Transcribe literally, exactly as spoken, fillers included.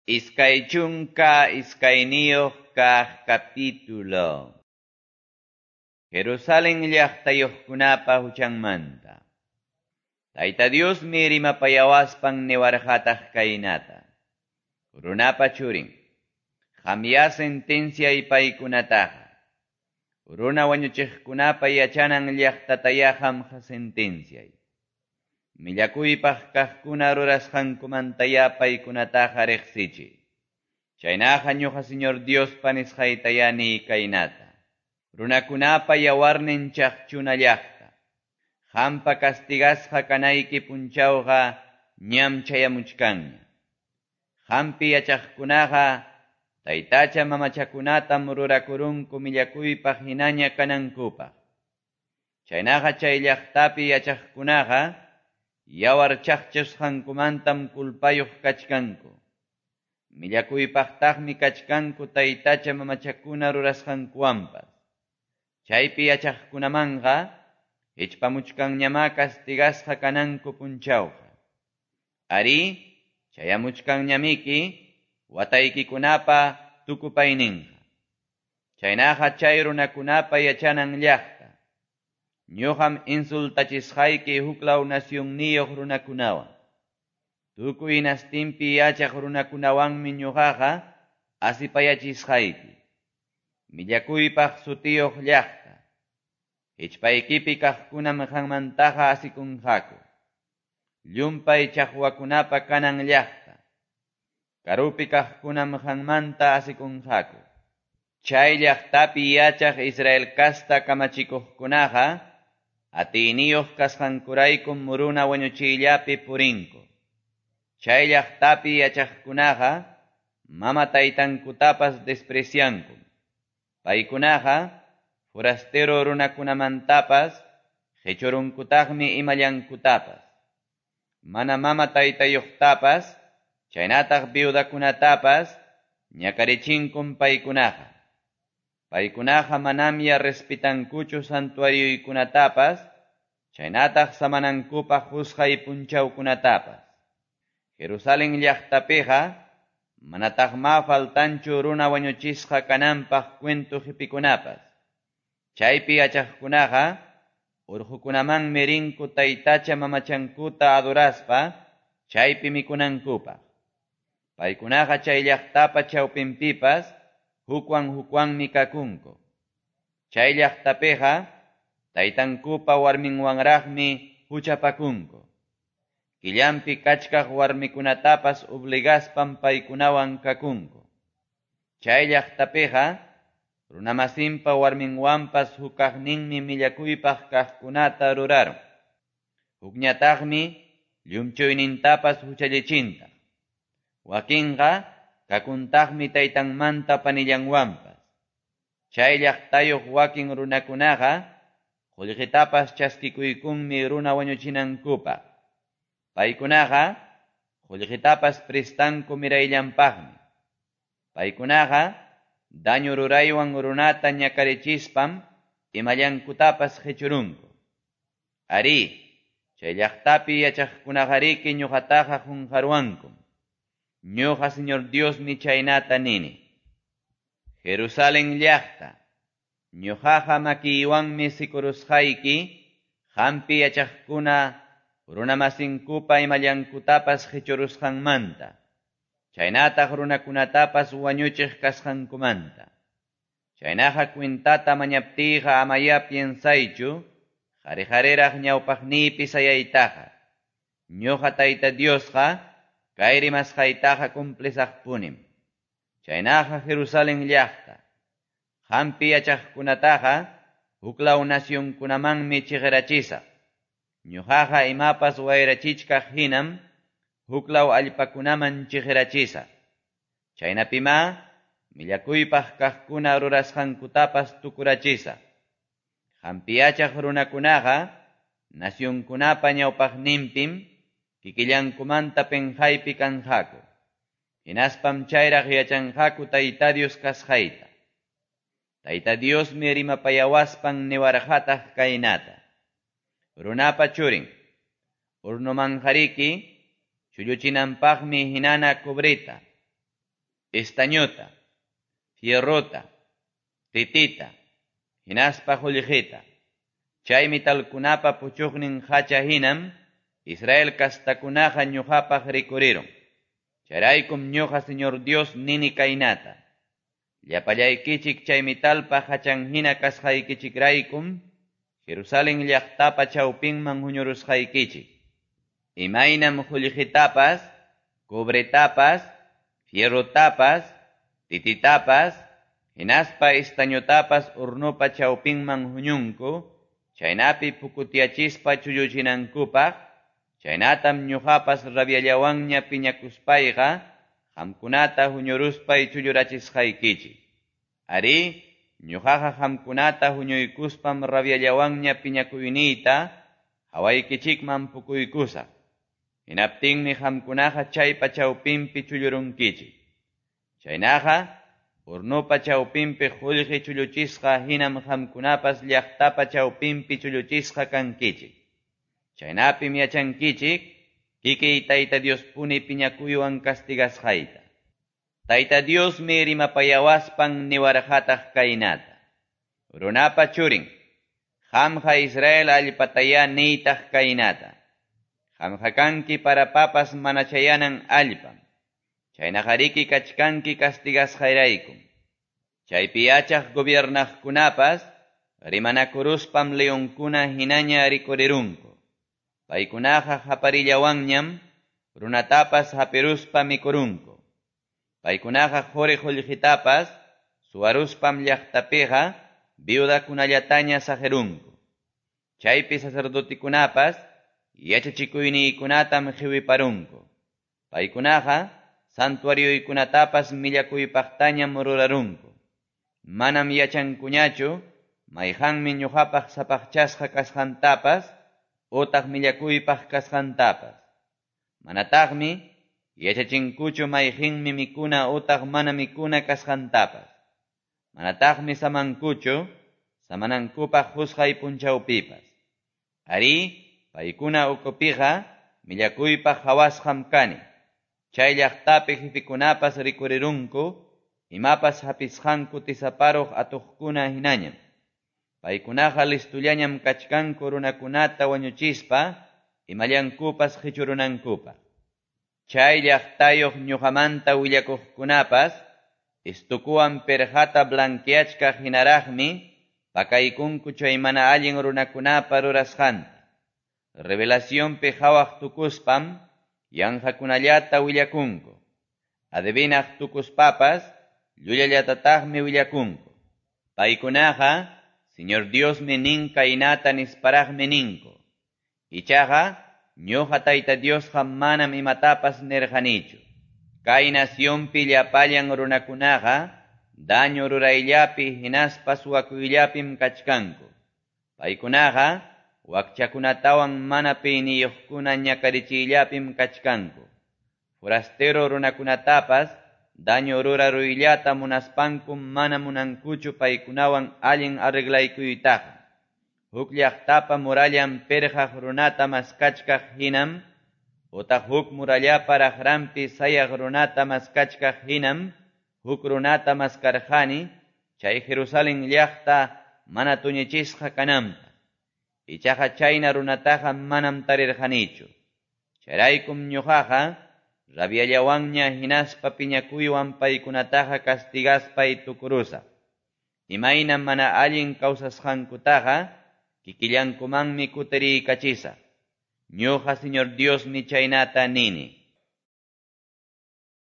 Iskay chunka iskayniyuq kaq capítulo. Jerusalén llaqtayuqkunapa huchanmanta. Tayta Diosmi rimapayawaspan niwarqataq kaynata. Runapa churin, qamya sentenciay paykunataqa. Runa wañuchiqkunapa yachanan llaqtataya qamqa sentenciay. Millakuypaq kaqkuna rurasqankumantaya paykunataqa riqsichiy. Chaynaqa ñuqa Señor Diospa nisqaytaya niy kaynata. Runakunapa yawarnin chaqchuna llaqta. Qampa castigasqa kanayki punchawqa ñam chayamuchkanña. Qampi yachaqkunaqa taytacha mamachakunatam rurakurunku millakuypaq hinaña kanankupaq. Chaynaqa chay llaqtapi yachaqkunaqa yawar chaqchasqankumantam kulpayuq kachkanku. Millakuypaqtaqmi kachkanku taytacha mamachakuna rurasqankuwanpas. Chaypi yachaqkunamanqa hichpamuchkanñamá castigasqa kananku punchawqa. Ari, chayamuchkanñamiki wataykikunapa tukupayninqa. Chaynaqa chay runakunapa yachanan llaqta. Ñuqam insultachisqayki huklaw nacionniyuq runakunawan. Tukuy nastinpi yachaq runakunawanmi ñuqaqa asipayachisqayki. Millakuypaq sutiyuq llaqta. Hichpaykipi kaqkunam qanmantaqa asikunqaku. Llumpay chaqwakunapa kanan llaqta. Karupi kaqkunam qanmanta asikunqaku. Chay llaqtapi yachaq Israel kasta kamachikuqkunaqa atiyniyuq kasqankuraykum runa wañuchiyllapi purinku. Chay llaqtapi yachaqkunaqa mama taytankutapas despreciankum. Paykunaqa forastero runakunamantapas qichurunkutaqmi imallankutapas. Mana mama taytayuqtapas chaynataq viudakunatapas ñakarichinkum paykunaqa. Paykunaqa manamya respetankuchu santuarioykunatapas chaynataq samanankupaq qusqay punchawkunatapas. Jerusalén llaqtapiqa manataqma faltanchu runa wañuchisqa kananpaq cuento qipikunapas. Chaypi yachaqkunaqa urqukunamanmi rinku taytacha mamachankuta adoraspa chaypi mikunankupaq. Paykunaqa chay llaqtapa chawpinpipas hukwan hukwanmi kakunku. Chay llaqtapiqa taytankupa warminwanraqmi huchapakunku. Killanpi kachkaq warmikunatapas obligaspam paykunawan kakunku. Chay llaqtapiqa runamasinpa warminwanpas hukaqninmi millakuypaq kaqkunata rurarun. Hukñataqmi llumchuynintapas huchallichintaq. Wakinqa kakuntaqmi taytanmanta panillanwanpas. Chay llaqtayuq wakin runakunaqa qullqitapas chaskikuykunmi runa wañuchinankupaq. Paykunaqa qullqitapas prestanku mirayllanpaqmi. Paykunaqa daño ruraywan runata ñakarichispam imallankutapas qichurunku. Ari, chay llaqtapi yachaqkunaqariki ñuqataqa qunqaruwankum. Ñuqa Señor Diosmi chaynata nini. Jerusalén llaqta, ñuqaqa makiywanmi sikurusqayki, qampi yachaqkuna runamasinkupa imallankutapas qichurusqanmanta, chaynataq runakunatapas wañuchiq kasqankumanta. Chaynaqa cuentata mañaptiyqa amaya piensaychu, qhari-qhariraq ñawpaqniypi sayaytaqa. Ñuqa Tayta Diosqa kay rimasqaytaqa cumplisaqpunim. Chaynaqa Jerusalén llaqta, qampi yachaqkunataqa huklaw nacionkunamanmi chiqirachisaq. Ñuqaqa imapas wayrachichkaq hinam huklaw allpakunaman chiqirachisaq. Chaynapimá millakuypaq kaqkuna rurasqankutapas tukurachisaq. Qampi yachaq runakunaqa nacionkunapa ñawpaqninpim kikillankumanta penqaypi kanqaku. Hinaspam chayraq yachanqaku Tayta Dios kasqayta. Tayta Diosmi rimapayawaspan niwarqataq kaynata. Runapa churin, urnumanqariki chulluchinanpaqmi hinana cobreta, estañota, fierrota, titita, hinaspa qullqita. Chay metalkunapa puchuqnin hacha hinam Israel kastakunaqa ñuqapaq rikurirun. Chayraykum ñuqa Señor Dios nini kaynata. Llapallaykichik chay metalpa hachan hina kasqaykichikraykum Jerusalén llaqtapa chawpinman huñurusqaykichik. Imaynam qullqitapas, cobretapas, fierrotapas, tititapas, hinaspa estañotapas hornopa chawpinman huñunku, chaynapi pukutiyachispa chulluchinankupaq, chaynatam ñuqapas rabiallawanña piñakuspayqa, qamkunata huñuruspay chullurachisqaykichik. Arí, ñuqaqa qamkunata huñuykuspam rabiallawanña piñakuyniyta hawaykichikman pukuykusaq. Hinaptinmi qamkunaqa chaypa chawpinpi chullurunkichik. Chaynaqa, hornopa chawpinpi qullqi chulluchisqa hinam qamkunapas llaqtapa chawpinpi chulluchisqa kankichik. Chaynapim yachankichik, kikiy Tayta Diospuni piñakuywan castigasqayta. Tayta Diosmi rimapayawaspan niwarqataq kaynata. Runapa churin, qamqa Israel allpatayá niytaq kaynata. Qamqa kanki parapapas mana chayanan allpam. Chaynaqariki kachkanki castigasqayraykum. Chaypi yachaq gobiernaqkunapas rimanakuruspam leonkuna hinaña rikurirunku. Paykunaqa qaparillawanñam runatapas hapiruspa mikurunku. Paykunaqa quri qullqitapas suwaruspam llaqtapiqa viudakunallataña saqirunku. Chaypi sacerdotikunapas yachachikuyniykunatam qiwiparunku. Paykunaqa santuarioykunatapas millakuypaqtañam rurarunku. Manam yachankuñachu mayqanmi ñuqapaq sapaqchasqa kasqantapas utaq millakuypaq kasqantapas. Manataqmi yachachinkuchu mayqinmi mikuna utaq mana mikuna kasqantapas. Manataqmi samankuchu samanankupaq qusqay punchawpipas. Arí, paykuna ukupiqa millakuypaq qhawasqam kani. Chay llaqtapi jefekunapas rikurirunku imapas hapisqanku tisaparuq atuqkuna hinañam. Paykunaqa listullañam kachkanku runakunata wañuchispa imallankupas qichurunankupaq. Chay llaqtayuq ñuqamanta willakuqkunapas estukuwan perqata blanqueachkaq hinaraqmi pakaykunku chay mana allin runakunapa rurasqanta. Revelacionpi qhawaq tukuspam yanqakunallata willakunku. Adivinaq tukuspapas llullallatataqmi willakunku. Paykunaqa Señor Diosmi nin kaynata nisparaqmi ninku. Ichaqa ñuqa Tayta Diosqa manam imatapas nirqanichu. Kay nacionpi llapallan runakunaqa daño rurayllapi hinaspa suwakuyllapim kachkanku. Paykunaqa wakchakunatawan mana piniyuqkuna ñakarichiyllapim kachkanku. Forastero runakunatapas daño ruraruyllata munaspankum mana munankuchu paykunawan allin arreglaykuytaqa. Huk llaqtapa murallan pirqaq runata maskachkaq hinam, utaq huk murallapa raqranpi sayaq runata maskachkaq hinam, huk runata maskarqani, chay Jerusalén llaqta mana tuñichisqa kananpaq. Ichaqa chayna runataqa manam tarirqanichu. Chayraykum ñuqaqa rabiallawanña hinaspa piñakuywan paykunataqa castigaspay tukurusaq. Imaynam mana allin kawsasqankutaqa kikillankumanmi kutiriykachisaq. Ñuqa Señor Diosmi chaynata nini.